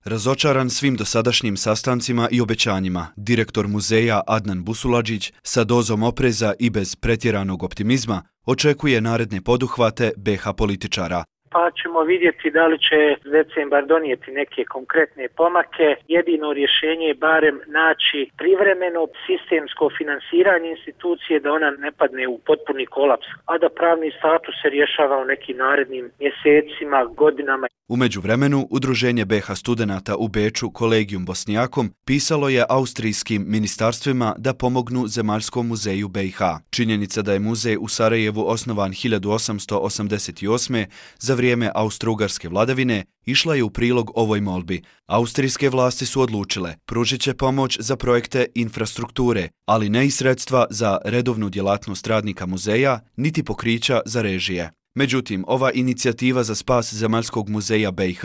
Razočaran svim dosadašnjim sastancima i obećanjima, direktor muzeja Adnan Busuladžić sa dozom opreza i bez pretjeranog optimizma očekuje naredne poduhvate BiH političara. Pa ćemo vidjeti da li će decembar donijeti neke konkretne pomake. Jedino rješenje je barem naći privremeno sistemsko finansiranje institucije da ona ne padne u potpuni kolaps, a da pravni status se rješava u nekim narednim mjesecima, godinama. U međuvremenu, Udruženje BiH studenata u Beču Kolegium Bosnijakom pisalo je austrijskim ministarstvima da pomognu Zemaljskom muzeju BiH. Činjenica da je muzej u Sarajevu osnovan 1888. za vrijeme austro-ugarske vladavine išla je u prilog ovoj molbi. Austrijske vlasti su odlučile pružit će pomoć za projekte infrastrukture, ali ne i sredstva za redovnu djelatnost radnika muzeja, niti pokrića za režije. Međutim, ova inicijativa za spas Zemaljskog muzeja BiH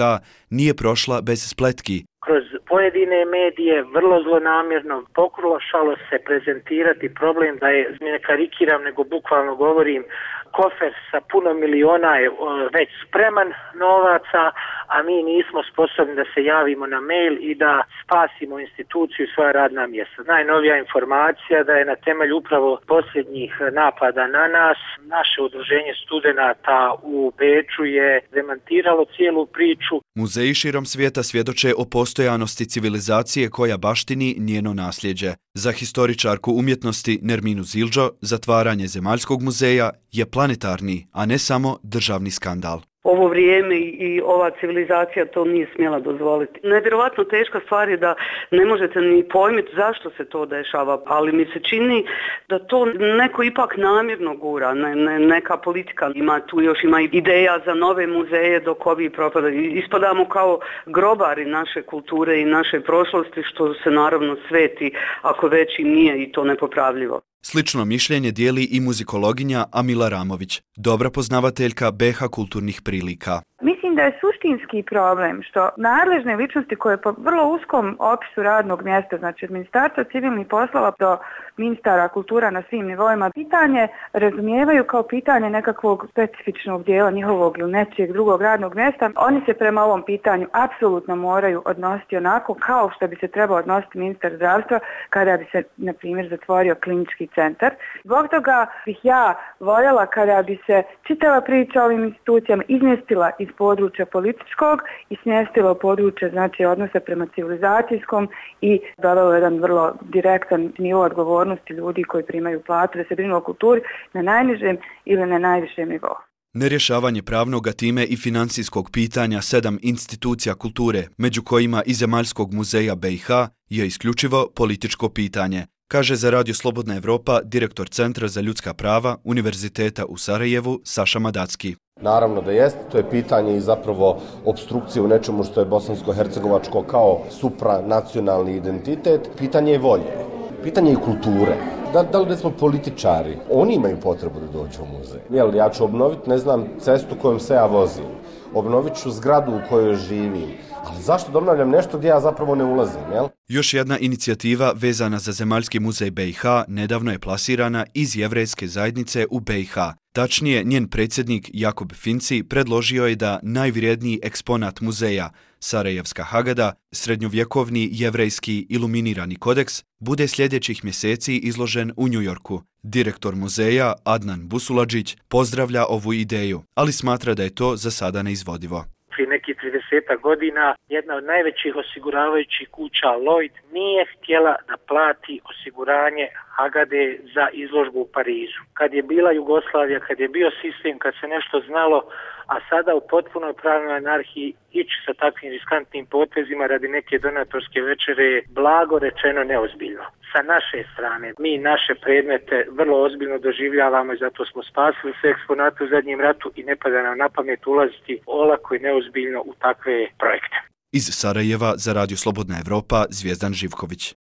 nije prošla bez spletki. Kroz pojedine medije vrlo zlonamjerno pokušalo se prezentirati problem da je, ne karikiram nego bukvalno govorim, kofer sa puno miliona je već spreman novaca, a mi nismo sposobni da se javimo na mail i da spasimo instituciju i svoja radna mjesta. Najnovija informacija da je na temelju upravo posljednjih napada na nas, naše udruženje studenata u Beču je demantiralo cijelu priču. Muzeji širom svijeta svjedoče o postojanosti civilizacije koja baštini njeno nasljeđe. Za historičarku umjetnosti Nerminu Zildžo, zatvaranje Zemaljskog muzeja je planetarni, a ne samo državni skandal. Ovo vrijeme i ova civilizacija to nije smjela dozvoliti. Nevjerovatno teška stvar je da ne možete ni pojmiti zašto se to dešava, ali mi se čini da to neko ipak namjerno gura, neka politika ima tu još ima ideja za nove muzeje dok ovi propadaju. Ispadamo kao grobari naše kulture i naše prošlosti, što se naravno sveti ako već i nije i to nepopravljivo. Slično mišljenje dijeli i muzikologinja Amila Ramović, dobra poznavateljka BiH kulturnih prilika. Mislim da je suštinski problem što nadležne ličnosti koje po vrlo uskom opisu radnog mjesta, znači od Ministarstva civilnih poslova do ministara kultura na svim nivoima, pitanje razumijevaju kao pitanje nekakvog specifičnog dijela njihovog ili nečijeg drugog radnog mjesta. Oni se prema ovom pitanju apsolutno moraju odnositi onako kao što bi se trebao odnositi ministar zdravstva kada bi se, na primjer, zatvorio klinički centar. Zbog toga bih ja voljela kada bi se čitava priča o ovim institucijama izmjestila iz područja političkog i smjestila u područje, znači, odnosa prema civilizacijskom i dovela jedan vrlo direktan nivo odgovornosti ljudi koji primaju platu da se brinu o kulturi na najnižem ili na najvišem nivou. Nerješavanje pravnog, a time i financijskog pitanja 7 institucija kulture, među kojima i Zemaljskog muzeja BiH, je isključivo političko pitanje, kaže za Radio Slobodna Evropa direktor Centra za ljudska prava Univerziteta u Sarajevu Saša Madacki. Naravno da jeste, to je pitanje i zapravo opstrukcije u nečemu što je bosansko-hercegovačko kao supranacionalni identitet. Pitanje je volje, pitanje je kulture. Da li smo političari? Oni imaju potrebu da dođu u muzej. Ja ću obnoviti, ne znam, cestu kojom se ja vozim. Obnovit ću zgradu u kojoj živim. Ali zašto da obnavljam nešto gdje ja zapravo ne ulazim, jel? Još jedna inicijativa vezana za Zemaljski muzej BiH nedavno je plasirana iz jevrejske zajednice u BiH. Tačnije, njen predsjednik Jakob Finci predložio je da najvrijedniji eksponat muzeja, Sarajevska Hagada, srednjovjekovni jevrejski iluminirani kodeks, bude sljedećih mjeseci izložen u Njujorku. Direktor muzeja Adnan Busuladžić pozdravlja ovu ideju, ali smatra da je to za sada neizvodivo. Prije nekih 30 godina jedna od najvećih osiguravajućih kuća Lloyd nije htjela da plati osiguranje Hagade za izložbu u Parizu. Kad je bila Jugoslavija, kad je bio sistem, kad se nešto znalo, a sada u potpunoj pravnoj anarhiji ići sa takvim riskantnim potezima radi neke donatorske večere je blago rečeno neozbiljno. Sa naše strane mi naše predmete vrlo ozbiljno doživljavamo i zato smo spasili sve eksponate u zadnjem ratu i ne pada nam na pamet ulaziti olako i neozbiljno u takve projekte. Iz Sarajeva za Radio Slobodna Evropa Zvijezdan Živković.